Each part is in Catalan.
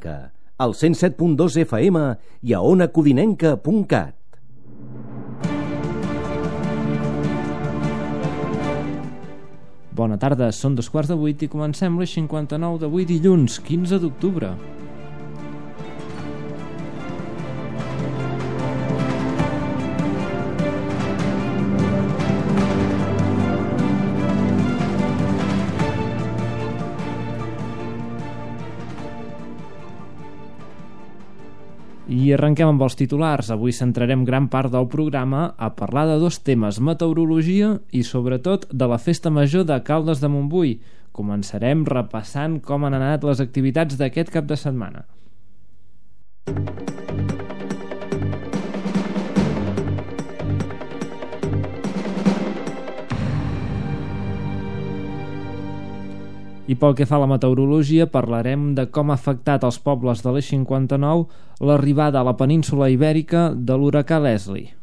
Codinenca, al 107.2 FM i a onacodinenca.cat. Bona tarda, són 7:15 i comencem les 59 d'avui dilluns, 15 d'octubre. I arrenquem amb els titulars. Avui centrarem gran part del programa a parlar de dos temes, meteorologia i sobretot de la Festa Major de Caldes de Montbui. Començarem repassant com han anat les activitats d'aquest cap de setmana. I pel que fa a la meteorologia, parlarem de com ha afectat els pobles de l'E59 l'arribada a la península Ibèrica de l'huracà Leslie.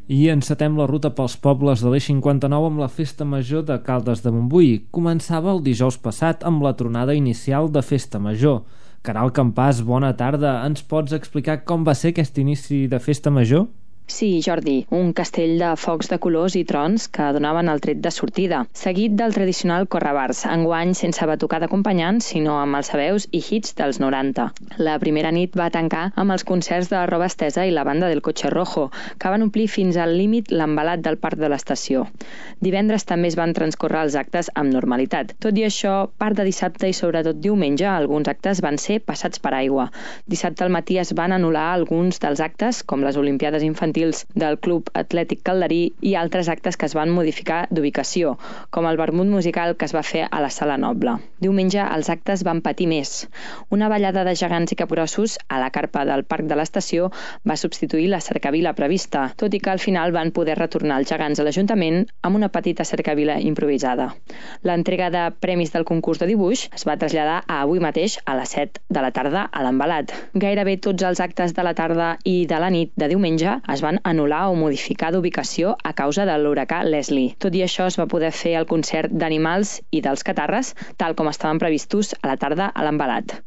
I encetem la ruta pels pobles de l'E59 amb la Festa Major de Caldes de Montbui. Començava el dijous passat amb la tronada inicial de Festa Major. Caral Campàs, bona tarda. Ens pots explicar com va ser aquest inici de Festa Major? Sí, Jordi, un castell de focs de colors i trons que donaven el tret de sortida, seguit del tradicional correbars, enguany sense batucar d'acompanyant, sinó amb els sabeus i hits dels 90. La primera nit va tancar amb els concerts de Roba Estesa i la banda del Coche Rojo, que van omplir fins al límit l'embalat del parc de l'estació. Divendres també es van transcorrer els actes amb normalitat. Tot i això, part de dissabte i sobretot diumenge, alguns actes van ser passats per aigua. Dissabte al matí es van anul·lar alguns dels actes, com les Olimpiades Infantils del Club Atlètic Calderí i altres actes que es van modificar d'ubicació, com el vermut musical que es va fer a la Sala Noble. Diumenge els actes van patir més. Una ballada de gegants i capgrossos a la carpa del parc de l'estació va substituir la cercavila prevista, tot i que al final van poder retornar els gegants a l'Ajuntament amb una petita cercavila improvisada. L'entrega de premis del concurs de dibuix es va traslladar a avui mateix a les 7 de la tarda a l'Embalat. Gairebé tots els actes de la tarda i de la nit de diumenge es van anul·lar o modificar d'ubicació a causa de l'huracà Leslie. Tot i això, es va poder fer el concert d'animals i dels catarres, tal com estaven previstos a la tarda a l'Embalat.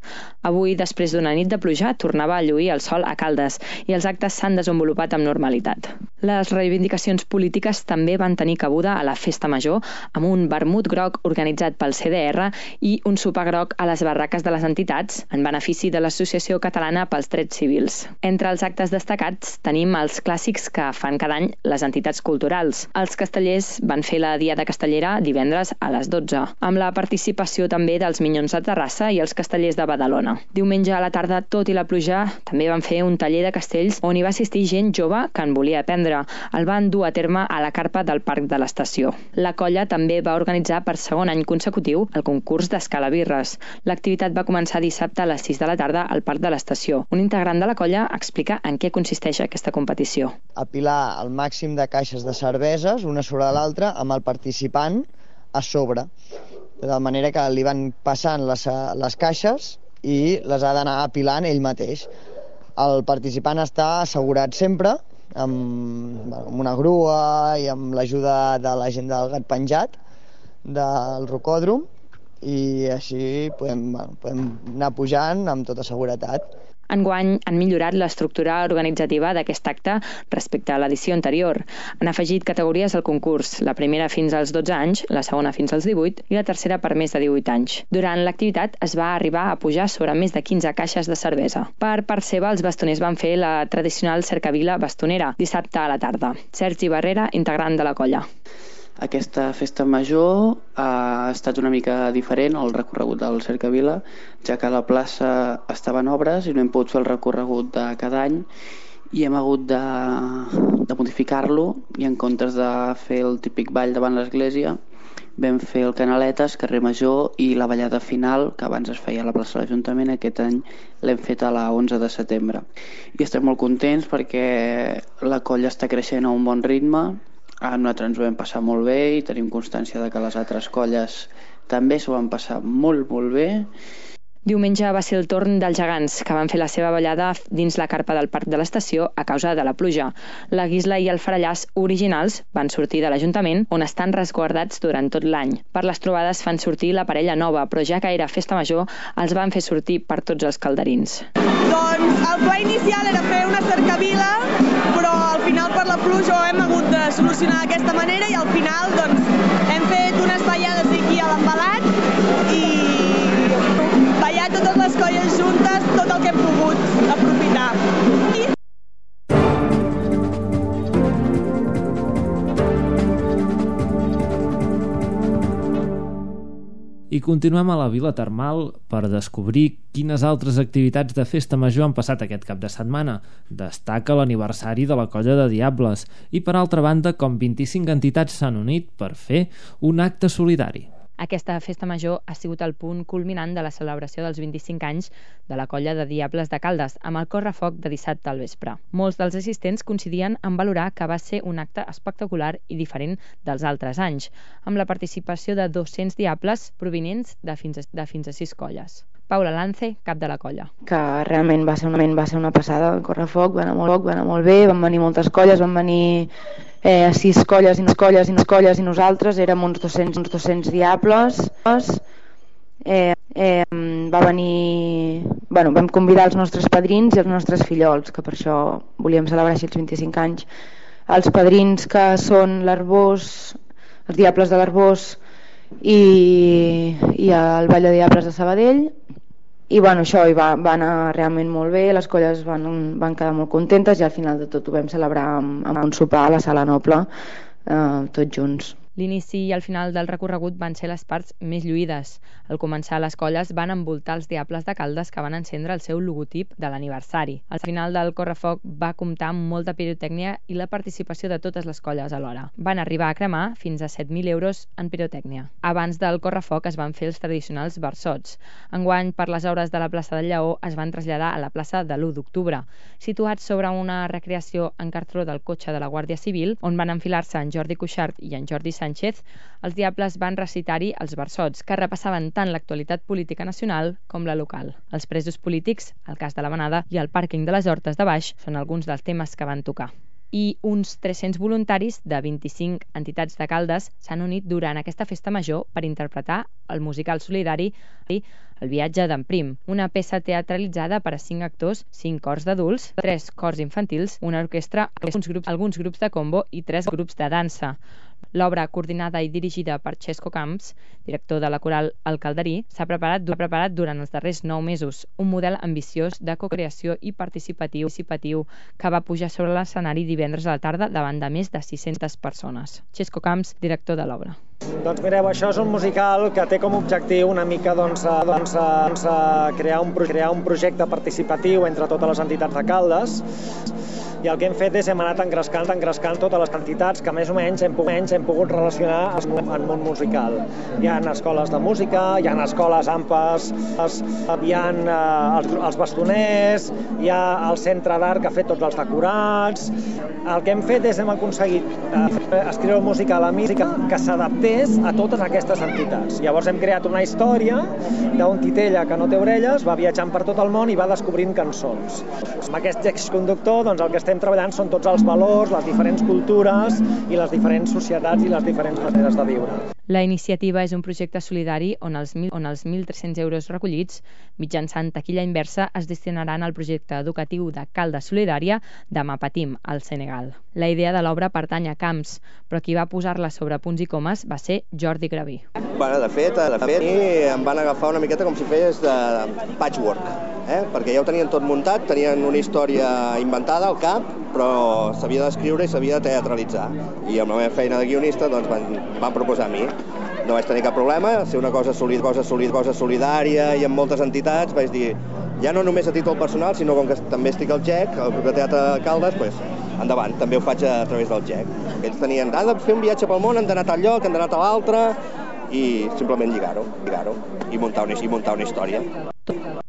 Avui, després d'una nit de pluja, tornava a lluir el sol a Caldes i els actes s'han desenvolupat amb normalitat. Les reivindicacions polítiques també van tenir cabuda a la Festa Major amb un vermut groc organitzat pel CDR i un sopar groc a les barraques de les entitats en benefici de l'Associació Catalana pels Drets Civils. Entre els actes destacats tenim els clàssics que fan cada any les entitats culturals. Els castellers van fer la Diada Castellera divendres a les 12, amb la participació també dels Minyons de Terrassa i els castellers de Badalona. Diumenge a la tarda, tot i la pluja, també van fer un taller de castells on hi va assistir gent jove que en volia aprendre. El van dur a terme a la carpa del parc de l'estació. La colla també va organitzar per segon any consecutiu el concurs d'escalabirres. L'activitat va començar dissabte a les 6 de la tarda al parc de l'estació. Un integrant de la colla explica en què consisteix aquesta competició. Apilar el màxim de caixes de cerveses una sobre l'altra amb el participant a sobre, de manera que li van passant les caixes i les ha d'anar apilant ell mateix. El participant està assegurat sempre amb una grua i amb l'ajuda de la gent del Gat Penjat del rocòdrom i així podem anar pujant amb tota seguretat. Enguany han millorat l'estructura organitzativa d'aquest acte respecte a l'edició anterior. Han afegit categories al concurs, la primera fins als 12 anys, la segona fins als 18 i la tercera per més de 18 anys. Durant l'activitat es va arribar a pujar sobre més de 15 caixes de cervesa. Per part seva, els bastoners van fer la tradicional cercavila bastonera dissabte a la tarda. Sergi Barrera, integrant de la colla. Aquesta festa major ha estat una mica diferent al recorregut del Cercavila, ja que la plaça estava en obres i no hem pogut fer el recorregut de cada any i hem hagut de modificar-lo i en comptes de fer el típic ball davant l'església vam fer el Canaletes, carrer Major i la ballada final, que abans es feia a la plaça de l'Ajuntament, aquest any l'hem fet a la 11 de setembre. I estem molt contents perquè la colla està creixent a un bon ritme. Nosaltres ens ho vam passar molt bé i tenim constància de que les altres colles també s'ho van passar molt, molt bé Diumenge va ser el torn dels gegants, que van fer la seva ballada dins la carpa del parc de l'estació a causa de la pluja. La guisla i el farallàs originals van sortir de l'Ajuntament, on estan resguardats durant tot l'any. Per les trobades fan sortir la parella nova, però ja que era festa major, els van fer sortir per tots els calderins. Doncs el pla inicial era fer una cercavila, però al final per la pluja ho hem hagut de solucionar d'aquesta manera i al final doncs, hem fet unes ballades aquí a l'embalat i ballar totes les colles juntes, tot el que hem pogut aprofitar. I continuem a la Vila Termal per descobrir quines altres activitats de festa major han passat aquest cap de setmana. Destaca l'aniversari de la Colla de Diables i, per altra banda, com 25 entitats s'han unit per fer un acte solidari. Aquesta festa major ha sigut el punt culminant de la celebració dels 25 anys de la Colla de Diables de Caldes, amb el correfoc de dissabte al vespre. Molts dels assistents coincidien en valorar que va ser un acte espectacular i diferent dels altres anys, amb la participació de 200 diables provinents de fins a 6 colles. Paula Lance, cap de la colla. Que realment va ser una passada, el correfoc va anar molt bé, van venir moltes colles, van venir 6 colles i nosaltres érem uns 200 diables. Va venir... vam convidar els nostres padrins i els nostres fillols, que per això volíem celebrar així els 25 anys. Els padrins que són l'Arbós, els diables de l'Arbós i el Ball de Diables de Sabadell. I això va anar realment molt bé, les colles van quedar molt contentes i al final de tot ho vam celebrar amb un sopar a la Sala Noble, tots junts. L'inici i el final del recorregut van ser les parts més lluïdes. Al començar, les colles van envoltar els diables de Caldes que van encendre el seu logotip de l'aniversari. Al final del correfoc va comptar amb molta pirotècnia i la participació de totes les colles alhora. Van arribar a cremar fins a 7.000 euros en pirotècnia. Abans del correfoc es van fer els tradicionals versots. Enguany, per les hores de la plaça del Lleó, es van traslladar a la plaça de l'1 d'octubre, situats sobre una recreació en cartró del cotxe de la Guàrdia Civil, on van enfilar-se en Jordi Cuixart i en Jordi Sánchez. Els diables van recitar-hi els versots, que repassaven tant l'actualitat política nacional com la local. Els presos polítics, el cas de la Manada i el pàrquing de les Hortes de Baix són alguns dels temes que van tocar. I uns 300 voluntaris de 25 entitats de Caldes s'han unit durant aquesta festa major per interpretar el musical solidari El viatge d'en Prim, una peça teatralitzada per a 5 actors, 5 cors d'adults, 3 cors infantils, una orquestra, alguns grups de combo i 3 grups de dansa. L'obra, coordinada i dirigida per Xesco Camps, director de la coral El Calderí, s'ha preparat durant els darrers 9 mesos, un model ambiciós de cocreació i participatiu que va pujar sobre l'escenari divendres a la tarda davant de més de 600 persones. Xesco Camps, director de l'obra. Doncs mireu, això és un musical que té com a objectiu una mica crear un projecte participatiu entre totes les entitats de Caldes, i el que hem fet és hem anat engrescant totes les entitats que més o menys hem pogut relacionar en món musical. Hi ha escoles de música, hi ha escoles AMPAs, hi ha els bastoners, hi ha el centre d'art que ha fet tots els decorats. El que hem fet és hem aconseguit escriure música a la música que s'adaptés a totes aquestes entitats. Llavors hem creat una història d'un titella que no té orelles, va viatjant per tot el món i va descobrint cançons. Amb aquest exconductor, doncs, el que estem treballant són tots els valors, les diferents cultures i les diferents societats i les diferents maneres de viure. La iniciativa és un projecte solidari on els 1.300 euros recollits mitjançant taquilla inversa es destinaran al projecte educatiu de Caldes Solidària de Mapatim, al Senegal. La idea de l'obra pertany a Camps, però qui va posar-la sobre punts i comes va ser Jordi Graví. De fet, em van agafar una miqueta com si fes de patchwork, perquè ja ho tenien tot muntat, tenien una història inventada al cap, però s'havia d'escriure i s'havia de teatralitzar. I amb la meva feina de guionista doncs, van proposar a mi. No vaig tenir cap problema, ser una cosa solidària i amb moltes entitats, vaig dir, ja no només a títol personal, sinó com que també estic al GEC, al Grup de Teatre de Caldes, doncs, endavant, també ho faig a través del GEC. Ells tenien, de fer un viatge pel món, han d'anar a tal lloc, han d'anar a l'altre, i simplement lligar-ho i muntar una història.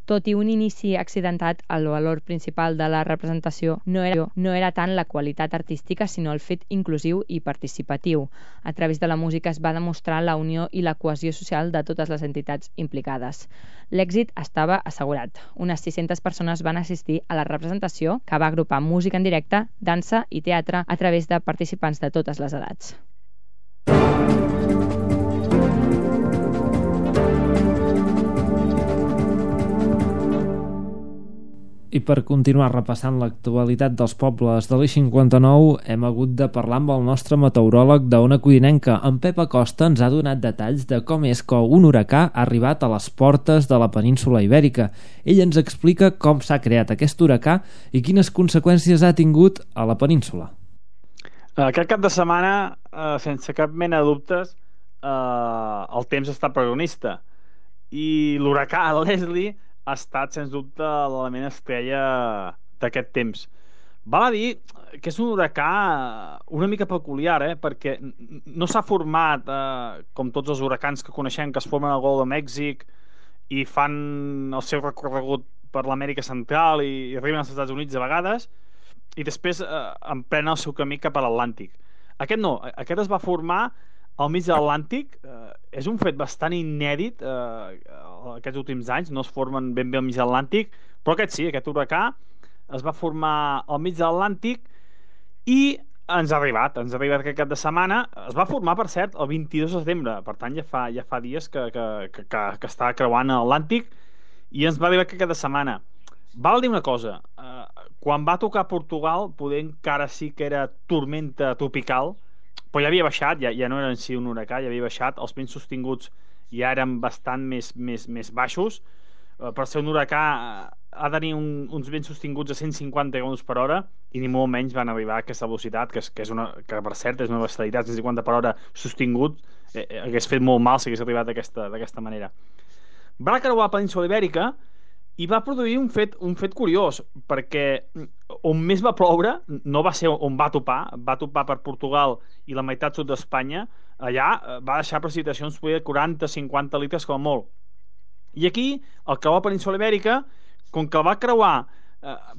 Tot i un inici accidentat, el valor principal de la representació no era tant la qualitat artística, sinó el fet inclusiu i participatiu. A través de la música es va demostrar la unió i la cohesió social de totes les entitats implicades. L'èxit estava assegurat. Unes 600 persones van assistir a la representació, que va agrupar música en directe, dansa i teatre a través de participants de totes les edats. I per continuar repassant l'actualitat dels pobles de l'I-59, hem hagut de parlar amb el nostre meteoròleg d'Ona Codinenca. En Pep Acosta ens ha donat detalls de com és que un huracà ha arribat a les portes de la península Ibèrica. Ell ens explica com s'ha creat aquest huracà i quines conseqüències ha tingut a la península. Aquest cap de setmana, sense cap mena de dubtes, el temps ha estat protagonista. I l'huracà Leslie ha estat, sens dubte, l'element estrella d'aquest temps. Val a dir que és un huracà una mica peculiar, perquè no s'ha format com tots els huracans que coneixem, que es formen al Golf de Mèxic i fan el seu recorregut per l'Amèrica Central i arriben als Estats Units a vegades i després emprenen el seu camí cap a l'Atlàntic. Aquest no, aquest es va formar al mig de l'Atlàntic. És un fet bastant inèdit aquests últims anys, no es formen ben bé al mig de l'Atlàntic, però aquest sí, aquest huracà es va formar al mig de l'Atlàntic i ens ha arribat aquest cap de setmana. Es va formar, per cert, el 22 de setembre, per tant ja fa dies que està creuant l'Atlàntic i ens va arribar aquest cap de setmana. Val dir una cosa, quan va tocar Portugal poder encara sí que era tormenta tropical, però ja havia baixat, ja no era en si un huracà, ja havia baixat, els vents sostinguts ja eren bastant més baixos. Per ser un huracà ha de tenir uns vents sostinguts a 150 km per hora i ni molt menys van arribar a aquesta velocitat, que per cert és una bestialitat. 150 per hora sostingut hagués fet molt mal si hagués arribat d'aquesta manera. Va creuar la península Ibèrica i va produir un fet curiós, perquè on més va ploure no va ser on va topar per Portugal i la meitat sud d'Espanya. Allà va deixar precipitacions de 40-50 litres com a molt. I aquí, al creuar la península Ibèrica, com que el va creuar,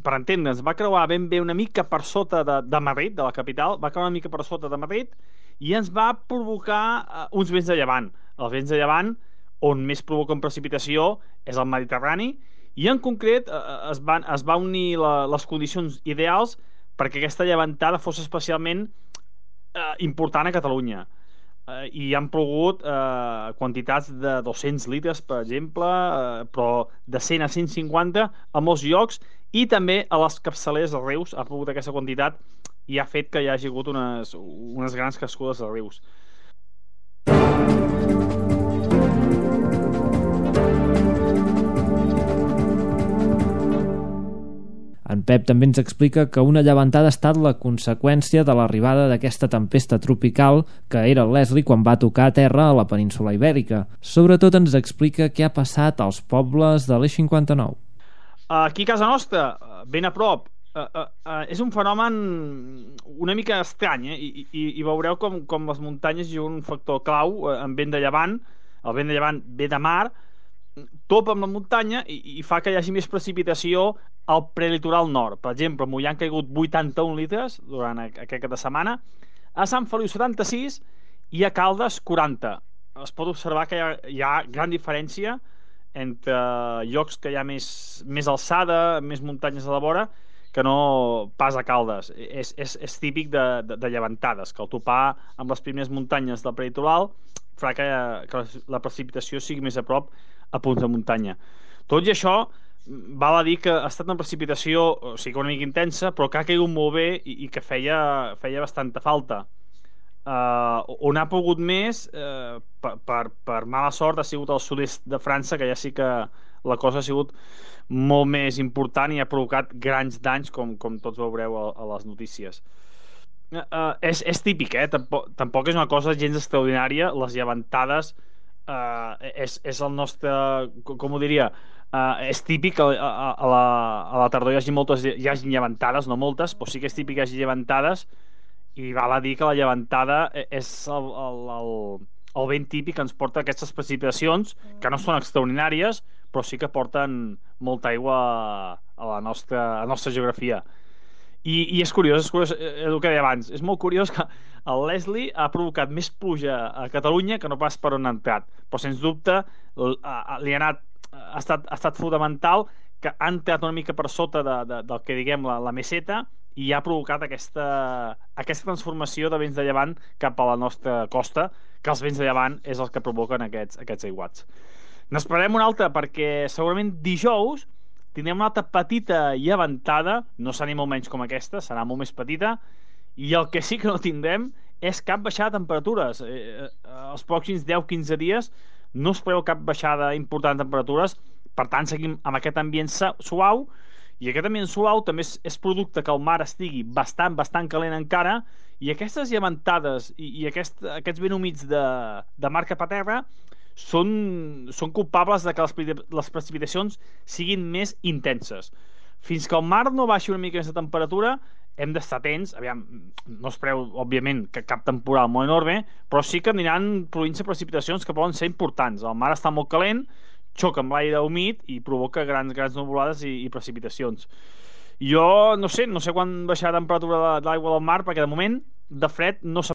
per entendre'ns, va creuar ben bé una mica per sota de Madrid, de la capital, va creuar una mica per sota de Madrid i ens va provocar uns vents de llevant. Els vents de llevant, on més provoquen precipitació, és el Mediterrani, i en concret es va unir les condicions ideals perquè aquesta llevantada fos especialment important a Catalunya. I han plogut quantitats de 200 litres, per exemple, però de 100 a 150 a molts llocs, i també a les capçaleres dels rius ha plogut aquesta quantitat i ha fet que hi hagi hagut unes grans crescudes dels rius. En Pep també ens explica que una llevantada ha estat la conseqüència de l'arribada d'aquesta tempesta tropical que era el Leslie quan va tocar a terra a la península Ibèrica. Sobretot ens explica què ha passat als pobles de l'I-59. Aquí a casa nostra, ben a prop, és un fenomen una mica estrany, i veureu com les muntanyes juguen un factor clau en vent de llevant. El vent de llevant ve de mar, topa amb la muntanya i fa que hi hagi més precipitació al prelitoral nord. Per exemple, a Mollà han caigut 81 litres durant aquest cap de setmana, a Sant Feliu 76 i a Caldes 40. Es pot observar que hi ha gran diferència entre llocs que hi ha més alçada, més muntanyes a la vora, que no pas a Caldes. És típic de llevantades, que al topar amb les primeres muntanyes del prelitoral farà que la precipitació sigui més a prop a punts de muntanya. Tot i això, val a dir que ha estat una precipitació una mica intensa, però que ha caigut molt bé i que feia bastanta falta. On ha pogut més, per mala sort, ha sigut al sud-est de França, que ja sí que la cosa ha sigut molt més important i ha provocat grans danys, com tots veureu a les notícies. És típic, tampoc és una cosa gens extraordinària. Les llevantades és el nostre, com ho diria, és típic que a la tardor hi hagi llevantades, no moltes, però sí que és típic que hi hagi llevantades, i val a dir que la llevantada és el vent típic que ens porta aquestes precipitacions, que no són extraordinàries, però sí que porten molta aigua a la nostra geografia. I és curiós, el que deia abans, és molt curiós que el Leslie ha provocat més pluja a Catalunya que no pas per on ha entrat, però sens dubte ha estat fonamental que ha entrat una mica per sota del que diguem la meseta i ha provocat aquesta transformació de vents de llevant cap a la nostra costa, que els vents de llevant és el que provoquen aquests aiguats. N'esperarem una altra perquè segurament dijous tindrem una altra petita llevantada, no serà ni molt menys com aquesta, serà molt més petita, i el que sí que no tindrem és cap baixada de temperatures. Els pròxims 10-15 dies no es preveu cap baixada important de temperatures, per tant seguim amb aquest ambient suau, i aquest ambient suau també és producte que el mar estigui bastant calent encara, i aquestes llevantades i aquests vents humits de mar cap a terra són culpables de que les precipitacions siguin més intenses. Fins que el mar no baixi una mica més de temperatura, hem d'estar atents. Aviam, no es preveu, òbviament, que cap temporal molt enorme, però sí que aniran produint-se precipitacions que poden ser importants. El mar està molt calent, xoca amb l'aire humit i provoca grans nuvolades i precipitacions. Jo no sé quan baixarà la temperatura de l'aigua del mar, perquè de moment de fred no